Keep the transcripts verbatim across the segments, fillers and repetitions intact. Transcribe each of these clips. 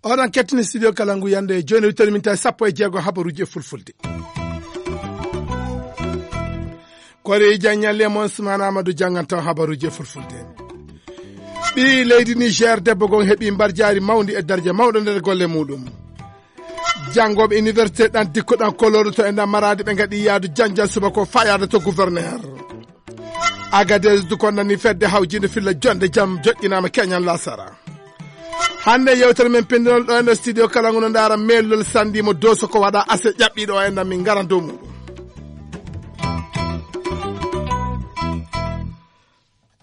Oɗon kettini studio Kalangu yande jooni, wittoɗo min tawi sappo e jeego habaruuji e fulfulde. Kore Janñalle mon Sumana Amadou jannganto habaruuji e fulfulde. Ɓii leydi Niger debbo gon heɓi mbarjaari mawndi e darja mawɗo nder golle muɗum. Janngooɓe université ɗan dikko ɗan koloodo to e nder Maraadi ɓe ngaɗi yaadu janjal subaka o faa yaada to gouverneur. Agadez du kondani fedde hawjiinde filla jonde jam joƴƴinaama keñan lasara. Hannde yewtere men pinndinol ɗo e nder studio kala ngono ndaara meelol sanndi mo dooso ko waɗa ase ƴaɓɓiiɗo o e nder min ngaran dow muɗum.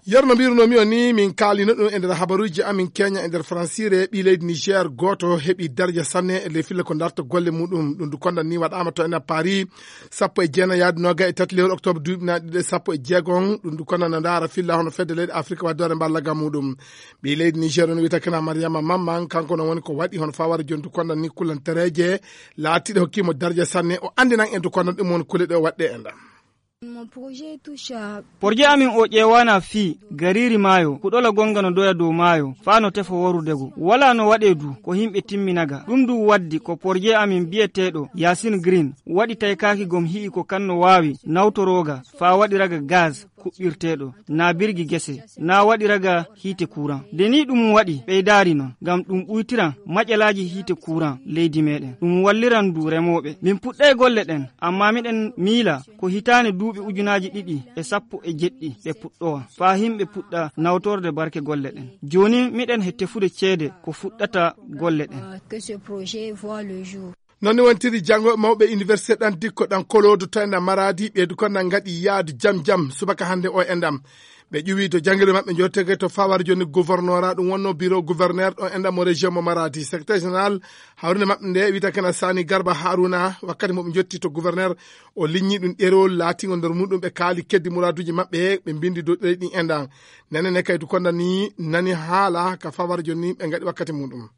Yer no mbirunomi o ni, min kaalino ɗum e nder habaruuji amin keña e nder Fransire, ɓii leydi Niger gooto heɓi darja sanne e ley filla ko darta golle muɗum. Ɗum du kondan ni waɗaama to ena Paris, sappo e jeenayi yaade noga e tati lewru octobre duuɓi na ɗiɗi e sappo e jeegom. Ɗum du kondan no ndaara filla hono fedde leyɗe Afrique waddoore mballaga muɗum. Ɓii leydi Niger on wiyata kena Mariama Mamman, kanko no woni ko waɗi hono fawara joni du kondan ni kullantereeje laatiiɗe hokkimo darja sanne. O anndinan en du kondan ɗum woni kule ɗe o waɗɗe e ndam. Porje amin o ƴeewana fii gariiri maayo, kuɗola gonga no doya dow maayo, faa no tefo worudego. Walaa no waɗee du ko himɓe timmina ga. Ɗum du waddi ko porje amin biyeteeɗo Yasin Green waɗi taykaaki gom hi'i ko kan no waawi nawtorooga faa waɗiraga gaz kuɓɓirteeɗo, naa birgi gese, naa waɗiraga hiite kuuran. Nde nii ɗum waɗi ɓeydaari non, ngam ɗum ɓuytiran maƴalaaji hiite kuuran leydi meeɗen. Ɗum walliran du remooɓe. Min puɗɗay golle ɗen, ammaa miɗen miila ko hitaande duuɓi ujunaaji ɗiɗi e sappo e jeɗɗi ɓe puɗɗowa, faa himɓe puɗɗa nawtorde barke golle ɗen. Jooni miɗen he tefude ceede ko fuɗɗata golle ɗen. Non ni wontiri janngooɓe mawɓe université ɗan dikko ɗan koloodo to enɗam Maraadi, ɓeydu kon nan ngaɗi yaadu jam jam subaka hannde o enɗam. Ɓe ƴuwi to janngirde maɓɓe jottege to fawar joni gouvernorat, ɗum wonno bureau gouverneur ɗo enɗam mo région mo Maraadi. Secrétaire général hawrinde maɓɓe nde wiyata kena Sani Garba Haruna, wakkati mo ɓe jotti to gouverneur, o liññi ɗum ɗerewol laatingo nder muɗum ɓe kaali keddi muraaduuji maɓɓe, ɓe mbindi dow ɗerewol ɗin enɗam. Nene ne kaydu konda ni nani haala ka fawar joni ɓe ngaɗi wakkati muɗum.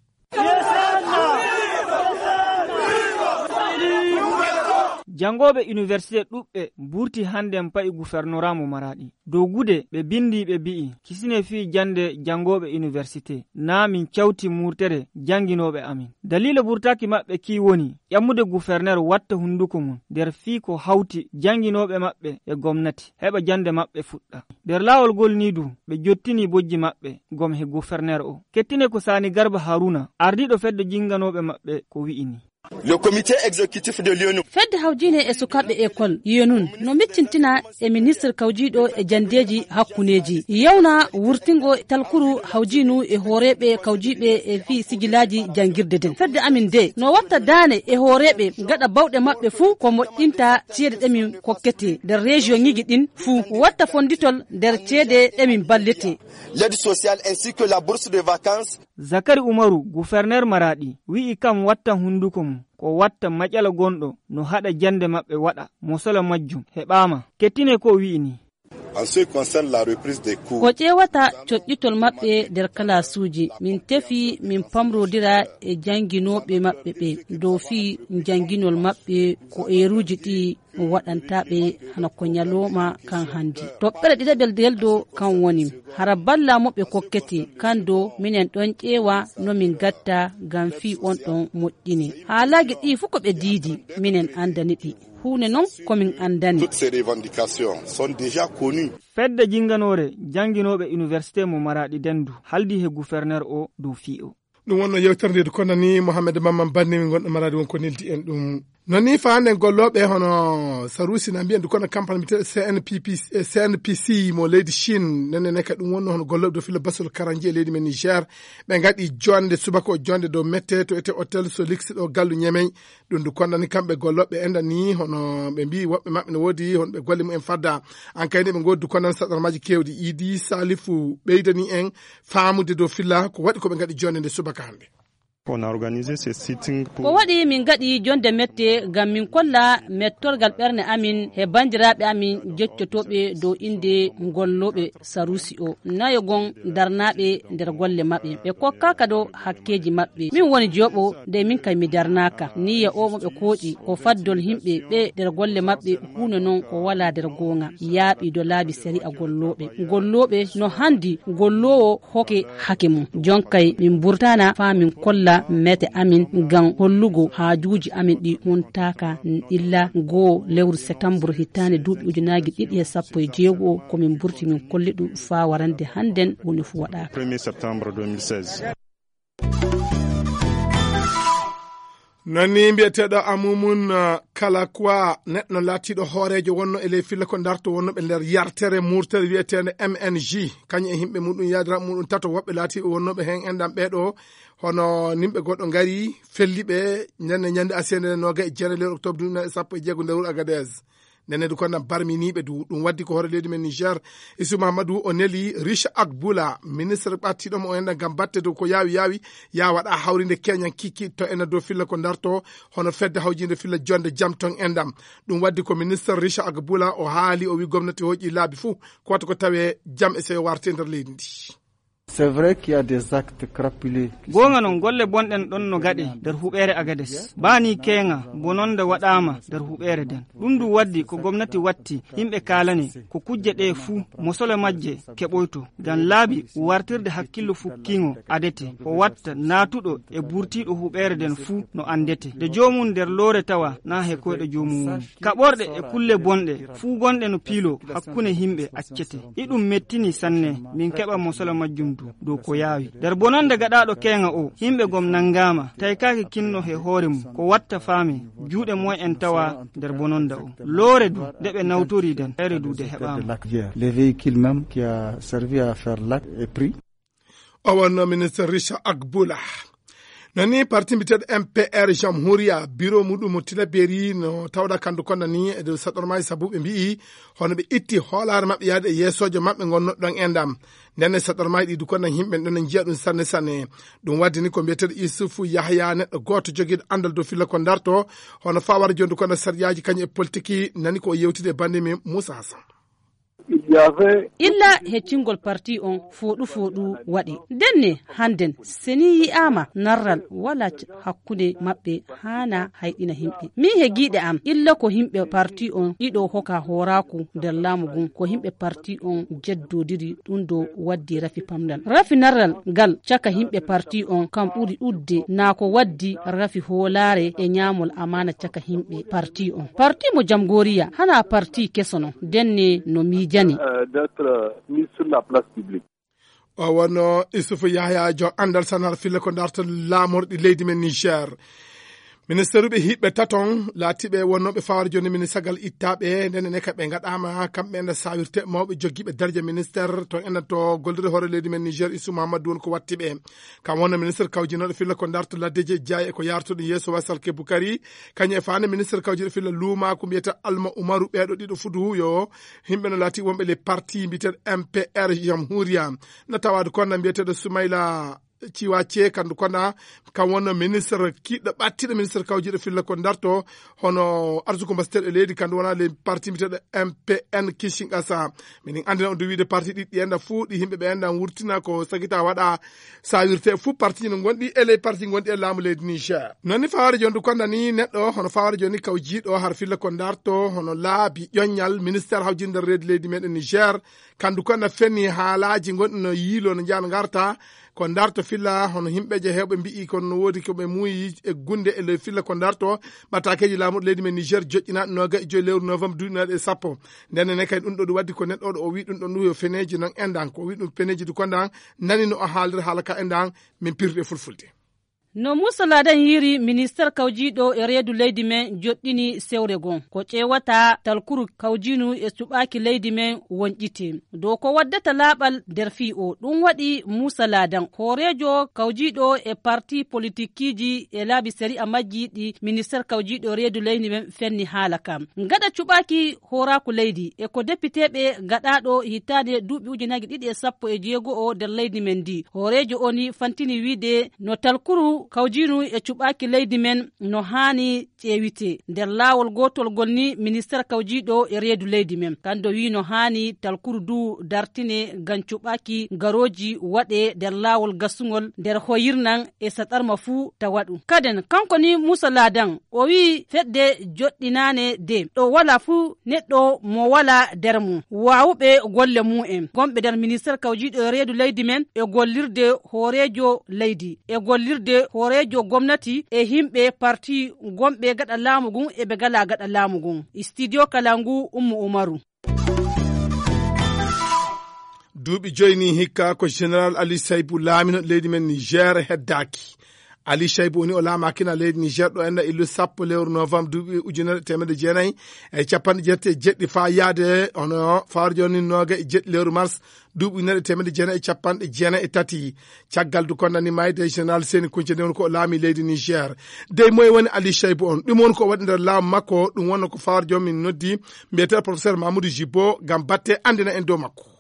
Janngooɓe université ɗuɓɓe mburti hannde pa'i gouvernorat mo Maraɗi. Dow gude ɓe bindi ɓe bi'i, kisine fii jannde janngooɓe université, naa min cawti murtere jannginooɓe amin. Daliila burtaaki maɓɓe kii woni ƴammude guferner watta hunnduko mum nder fii ko hawti jannginooɓe maɓɓe e gomnati, heɓa jannde maɓɓe fuɗɗa. Nder laawol ngol nii du, ɓe jottini bojji maɓɓe gom he guferner o. Kettine ko Sani Garba Haruna, ardiiɗo fedde jinnganooɓe maɓɓe ko wi'i nii. Le comité exécutif de l'U N U. Fedde hawjiine e sukaaɓe école U N U no miccintina e ministre kawjiiɗo e janndeeji hakkuneeji. Yewna wurtingo talkuru hawjiinu e hooreeɓe kawjiiɓe e fii sijilaaji janngirde den. Fedde amin de no watta daane e hooreeɓe gaɗa bawɗe maɓɓe fuu ko moƴƴinta ceede ɗe min kokkete nder région ŋiji ɗin fuu. Watta fonnditol nder ceede ɗe min ballete. L'aide sociale ainsi que la bourse de vacances. Zakari Umaru, guferner Maraɗi, wi'i kam watta hunnduko mum, ko watta maƴala gonɗo no haɗa jannde maɓɓe waɗa, mosola majjum heɓaama. Kettine ko o wi'i nii. En ce qui concerne la reprise des cours. Ko ƴeewata coƴƴitol maɓɓe nder kalaasuuji, min tefi min pamrodira e jannginooɓe maɓɓe ɓe, dow fii jannginol maɓɓe ko eeruuji ɗi waɗanta ɓe hano ko ñalooma kan hannde. Toɓɓere ɗiɗaɓel del do kan woni, hara balla mo ɓe kokkete, kan do minen ɗon ƴeewa no min gatta ngam fii on ɗon moƴƴine. Haalaaji ɗi fuu ko ɓe diidi, minen anndani ɗi. Huune non ko min anndani. Toutes ces revendications sont déjà connues. Fedde jinnganoore jannginooɓe université mo Maraɗi Dendu haldi he guferner o dow fii o. Ɗum wonno yewtere nde du konani Mohamed Mamman Banni, min gonɗo Maraɗi won ko neldi en ɗum. Non ni faanden gollooɓe hono Sarusi na mbiyen du kono campagne mbiteɗo C N P P, eh, C N P C mo leydi Chine, nene ne ka ɗum wonno hono gollooɓe dow filo basol karanji e leydi men Niger, ɓe ngaɗi jonde subaka o jonde dow mette to ete hôtel Solix ɗo gallu Ñemey. Ɗum du kondani kamɓe gollooɓe enɗan ni hono ɓe mbi woɓɓe maɓɓe no woodi hono ɓe golle mumen fadda. An kayni ɓe ngoodi du kondani saɗarmaaji keewɗi Idi Salifu ɓeydani en faamude dow filla ko waɗi ko ɓe ngaɗi jonde nde subaka hannde. Ko waɗi min ngaɗi jonnde mette ngam min kolla mettorgal ɓernde amin he banndiraaɓe amin jeccotooɓe dow innde gollooɓe Sarusi o, nayo gon darnaaɓe nder golle maɓɓe. Ɓe kokkaaka dow hakkeeji maɓɓe. Min woni jooɓo de min kay mi darnaaka. Niyya o mo ɓe kooƴi ko faddol yimɓe ɓe nder golle maɓɓe huunde non ko walaa nder goonga. Yaaɓi dow laabi sari'a gollooɓe. Gollooɓe no hanndi golloowo hokke hake mum. Jonkay min mburtana faa min kolla mete amin ngam hollugo haajuuji amin ɗi huntaaka illa goo lewru setambur hitaande duuɓi ujunaaji ɗiɗi e sappo e jeego ko min mburti min kolli ɗum faa warande hannden woni fuu waɗaaka. Premier septembre deux mille seize. Non ni mbiyeteeɗo Amumun, uh, Kalakwa, neɗɗo laatiiɗo hooreejo wonno e ley filla ko darto wonnooɓe nder yartere murtere wiyeteende M N G, kañum e yimɓe muɗum yaadiraaɓe muɗum tato woɓɓe laatiiɓe wonnooɓe heen enɗam ɓeeɗo, hono nimɓe goɗɗo ngari felli ɓe ñande, ñande asiyende nooga e jeere lewru octobre duuɓi sappo e jeego nder wuro Agadez. Nene du kono barminiiɓe du, ɗum waddi ko hoore leydi men Niger, Isu Mahamadou o neli Riche Agbula, ministre ɓattiɗo mo o enɗam ngam batte dow ko yaawi yaawi, yaa waɗa hawrinde keñan kikki to ena dow filla ko darto, hono fedde hawjinde filla jonde jam ton enɗam. Ɗum waddi ko ministre Riche Agbula o haali, o wi gomnati hoƴi laabi fuu ko wata ko tawe jam e seyo warte nder leydi ndi. C'est vrai qu'il y a des actes crapuleux. Goonga noon, golle bonɗen ɗon no gaɗe nder huɓeere Agades. Baa nii keeŋa bononda waɗaama nder huɓeere nden. Ɗum ndu waddi ko gomnati watti, yimɓe kaalane, ko kujje ɗe fuu, mosole majje keɓoyto. Ngam laabi wartirde hakkillo fukkiiŋo adete, o watta naatuɗo e burtiiɗo huɓeere nden fuu no anndete. De joomum nder loore tawa naa he koyɗe joomum woni. Kaɓorɗe e kulle bonɗe fuu gonɗe no piilo hakkunde yimɓe accete. Iɗum mettini sanne, min keɓa mosala majjum du dow ko yaawi. Nder bononde gaɗaaɗo keeŋa o, yimɓe gom nanngaama, taykaaki kinno he hoore mum, ko watta faame, juuɗe moy en tawa nder bononda o. Loore du, nde ɓe nawtori den, ere du de heɓaama. Les véhicules même qui a servi à faire l'acte est pris. O wonno ministre Richard Agbula. No ni parti mbiyeteeɗo M P R Jamhuriya, biro muɗum mo Tilaberi no tawɗa kandu konda ni e dow saɗormaaji sabu ɓe mbi'i hono ɓe itti hoolaare maɓɓe yaade e yeesoojo maɓɓe ngonno ɗon e ndam. Nden e saɗormaaji ɗi du konda yimɓe ɗon njiya ɗum sanne sanne. Ɗum waddi ni ko mbiyeteeɗo Isufu Yahya neɗɗo gooto jogiiɗo anndal dow filla ko darto hono fawara jondu konda sariyaaji kañum e politiki nani ko o yewtide e bannde men Moussa Hassan. Illa heccingol parti on fooɗu fooɗu waɗi. Ndenne hannden seni yi'aama narral wala c-, hakkunde maɓɓe haana hayɗina himɓe. Min he giiɗe am illa ko himɓe parti on ɗiɗo hoka hooraaku nder laamu ngun ko himɓe parti on jeddodiri ɗum do waddi rafi pamdal. Rafi narral ngal caka himɓe parti on kam ɓuri ɗudde naa ko waddi rafi hoolaare e ñaamol amaana caka himɓe parti on. Parti mo Jamgoriya hana parti keso non, ndenne no miijani. Euh, d'être, euh, mis sur la place publique. O wonno Issoufou Yahya, jom anndal sanar fille ko darta laamorɗi leydi men Niger. Ministeruɓe hiɓɓe taton laatiɓe wonnooɓe fawar joni ministagal ittaɓe, ndenne ne ka ɓe ngaɗama kamɓe enda sawirte mawɓe joggiɓe darja ministère to enda to gollirde hoore leydi men Niger, Issou Mahamadou woni ko watti ɓe. Kam wonno ministre kawjinoɗo filla ko darta laddeji e jaayi e ko yartuɗo yeeso Wasal Ke Bukari, kañum e faande ministre kawjiɗo filla luumaku mbiyata Alma Umaru, ɓeeɗo ɗiɗo fudu yo himɓe no laati wonɓe les parti mbiteɗo M P R Jamhuriya. No tawade konna mbiyeteɗo Soumaila Ciwace kandu konna kam wonno ministre kiɗɗo ɓattiɗo ministre kawjiɗo filla ko darto hono arsuko mbasiteɗo e leydi kandu wona les parti mbiteɗo M P N Kinshasa. Minin anndina on du wiide parti ɗiɗɗi enda fuu ɗi yimɓe ɓe enda wurtina ko sagita waɗa sawirte fuu parti no gonɗi e ley parti gonɗi e laamu leydi Niger. Non ni faware joni du konda ni neɗɗo hono faware joni kawjiɗo har filla ko darto hono laabi ƴoññal ministère hawjinde nder reedi leydi meɗen Niger. Kandu konda fenni haalaji gonɗi no yiilo no jaan garta ko darto filla hono himɓeje hewɓe mbi'i kono no woodi ko ɓe muuyi e gunde e ley filla ko darto ɓatakeji laamuɗo leydi men Niger joƴƴinaɗo noga e joyi lewru novembre duuɓi naɗe e sappo. Nden ne kadi ɗum ɗo ɗum waddi ko neɗɗo ɗo o wi ɗum ɗon ɗum yo feneji non endan ko wi ɗum feneji du kondan nani no o haaldir haala ka endan min pirde fulfulde. No Moussa Ladan yiri minister kawjiɗo e reedu leydi men joɗɗini sewre gon ko ƴeewata talkuru kawjinu e suɓaaki leydi men wonƴite dow ko waddata laaɓal nder fii o. Ɗum waɗi Moussa Ladan hooreejo kawjiɗo e parti politikkiiji e laabi sari'a majji ɗi minister kawjiɗo reedu leydi men fenni haala kam. Gaɗa cuɓaaki hooraaku leydi e ko depiteeɓe gaɗaaɗo hitaande duuɓi ujunaaji ɗiɗi e sappo e jeego o nder leydi men ndi. Hooreejo o ni fantini wiide no talkuru Kawjiinu e cuɓaaki leydi men no haani ƴeewitee. Nder laawol gootol ngol ni, ministeer kawjiiɗo e reedu leydi men, kanko wii no haani talkuru du dartine ngam cuɓaaki garooji waɗee nder laawol gasungol nder hoyirnan e saɗarma fuu tawa ɗum. Kaden, kanko ni Muusa Laadan, o wii fedde joɗɗinaane de ɗo walaa fuu neɗɗo mo walaa nder mum, waawuɓe golle mum en, gonɓe nder ministeer kawjiiɗo e reedu leydi men e gollirde hooreejo leydi, e gollirde hooreejo gomnati e yimɓe parti gonɓe gaɗa laamu ngun e ɓe ngalaa gaɗa laamu ngun. Studio Kalangu, Ummu Umaru. Duuɓi joyi ni hikka ko Général Ali Saybu laamino leydi men Niger heddaaki. Ali Saybu woni o laamaakina leydi Niger ɗo enna illu sappo lewru novembre duuɓi ujunere teemedde jeenayi e capanɗe jeetati e jeɗɗi faa yaade hono fawre jooni nooga e jeɗɗi lewru mars duuɓi ujunere teemedde jeenayi e capanɗe jeenayi e tati. Caggal du kondani mayde Général Seni Kunce nde woni ko o laami leydi Niger. Dey moye woni Ali Saybu on? Ɗum woni ko waɗi nder laamu makko, ɗum wonno ko fawre jooni min noddi mbiyetee professeur Mamoudou Jibo ngam batte anndina en dow makko.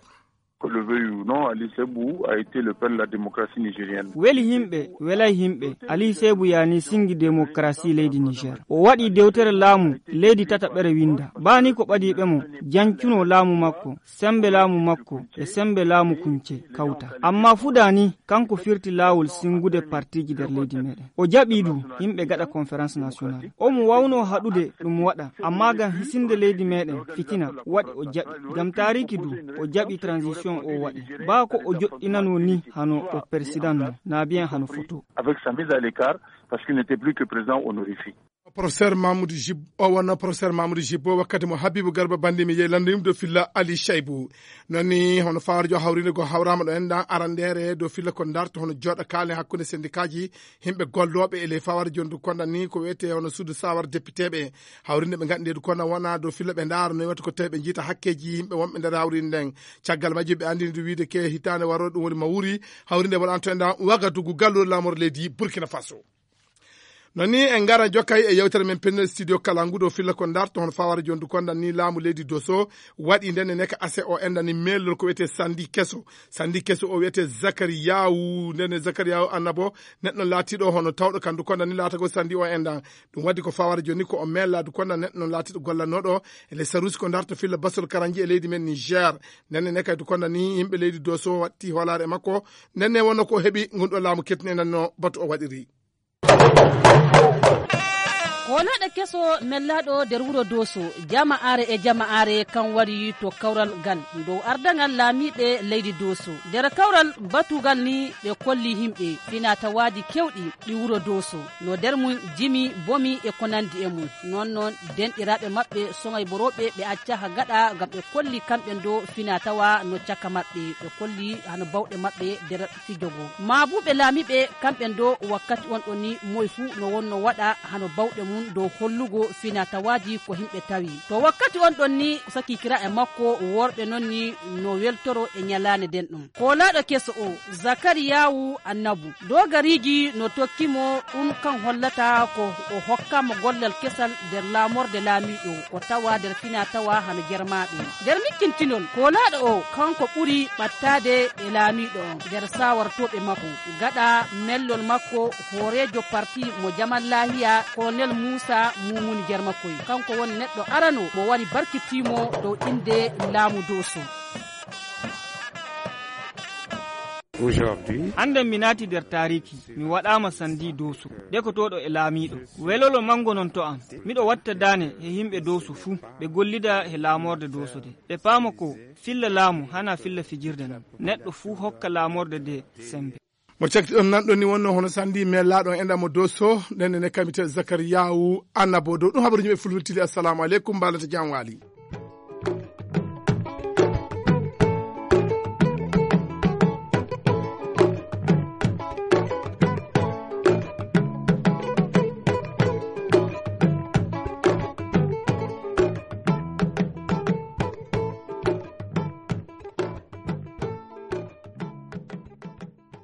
Que le veuille ou non, Ali Sebu a été le père de la démocratie nigérienne. Weli yimɓe, welay yimɓe, Ali Sebu yani singi démocratie leydi Niger. O waɗi dewtere laamu leydi tataɓere winda. Bani ko ɓadiiɓe mo, jancuno laamu makko, sembe laamu makko, e sembe laamu kunce kawta. Amma fuda ni, kanko firti laawol singude partiji nder leydi meɗen. O jaɓi du, yimɓe gaɗa conférence nationale. Omo wawno haɗude ɗum waɗa, amma ngam hisinde leydi meɗen fitina waɗi o jaɓi. Ngam taariki du, o jaɓi transition o waɗi. Baa ko o joɗɗinano ni hano o président no, na bien hano photo. Avec sa mise à l'écart, parce qu'il n'était plus que président honorifique. Professeur Mamoudou Jib, o wonno professeur Mamoudou Jib, o wakkati mo Habibou Garba Bandi mi yehi lande yum dow filla Ali Shaibou. Noon ni, hono fawarjo hawrinde go hawrama ɗo en ɗan arandere dow filla ko darto hono joɗa kaalen hakkunde sendikaaji, himɓe gollooɓe e ley fawarjo ndu konda ni ko wiyete hono suudu sawar depiteɓe. Hawrinde ɓe ngaɗi nde du konda wona dow filla ɓe ndaara no wata ko tawi ɓe jiita hakkeji yimɓe wonɓe nder hawrinde nden. Caggal majjum ɓe andini du wiide ke hitaande warooɗo ɗum woni Mawuri, hawrinde waɗanto en ɗan Wagadugu galluɗo laamor leydi Burkina Faso. Noon ni en ngara jokkay e yewtere men penne studio Kalangu dow filla ko darto hono fawara jondu kondan ni laamu leydi Doso waɗi ndenne neka ase o endani meelol ko wiyete sandi keso. Sandi keso o wiyete Zakariyawu, ndenne Zakariyawu Annabo, neɗɗo laatiɗo hono tawɗo kandu kondan ni laatago sandi o endan. Ɗum waɗi ko fawara joni ko o meella du kondan neɗɗo laatiɗo gollannoɗo e les sarusi ko darto filla basol karanji e leydi men Niger. Ndenne neka du kondan ni yimɓe leydi Doso watti hoolaare e makko. Ndenne wonno ko heɓi ngun ɗo laamu kettini endan no batu o waɗiri. Koolaaɗo keso mellaaɗo nder wuro Dooso, jama'aare e jama'aare kan wari to kawral ngal dow ardangal laamiiɓe leydi Dooso. Nder kawral batugal ni ɓe kolli yimɓe finatawaaji kewɗi ɗi wuro Dooso. No nder mum jimi, bomi e ko nandi e mum. Noon noon denɗiraaɓe maɓɓe sogay borooɓe ɓe acca ha gaɗa ngam ɓe kolli kamɓe ndo finatawa no caka maɓɓe. Ɓe kolli hano bawɗe maɓɓe nder fijogo. Maabuɓe laamiiɓe kamɓe ndo wakkati on ɗon ni moy fuu no wonno waɗa hano bawɗe mum dow hollugo finatawaaji ko himɓe tawi. To wakkati on ɗon ni sakikiraaɓe makko worɓe non ni no weltoro e nyalaande nden ɗum. Koolaaɗo keso o, Zakariyawu Annabu, doogariiji no tokki mo ɗum kan hollata ko o hokkaama gollal kesal nder laamorde laamiiɗo ko tawa nder finatawa hano jarmaaɓe. Nder mikkintinol, koolaaɗo o kanko ɓuri ɓattaade e laamiiɗo on nder sawartooɓe makko. Gaɗa mellol makko, hooreejo parti mo Jamal Laahiya, Kolonel Muusa Muumuni Jarmakoy, kanko woni neɗɗo arano mo wari barkitiimo dow innde laamu Dooso. Aujourd'hui, hannde mi naati nder taariki, mi waɗaama sandi Dooso, dekotooɗo e laamiiɗo. Welolo manngo non to am. Miɗo watta daane he yimɓe Dooso fuu, ɓe gollida he laamorde Dooso de. Ɓe paama ko filla laamu hana filla fijirde non. Neɗɗo fuu hokka laamorde de sembe. Mo cakti ɗon nan ɗon ni wonno hono sandi mellaaɗo en ɗamo Dooso, nden ne kamite Zakariyawu Annabo dow ɗum habaru yimɓe fulfultili. Assalamu aleykum, mbalata jam waali.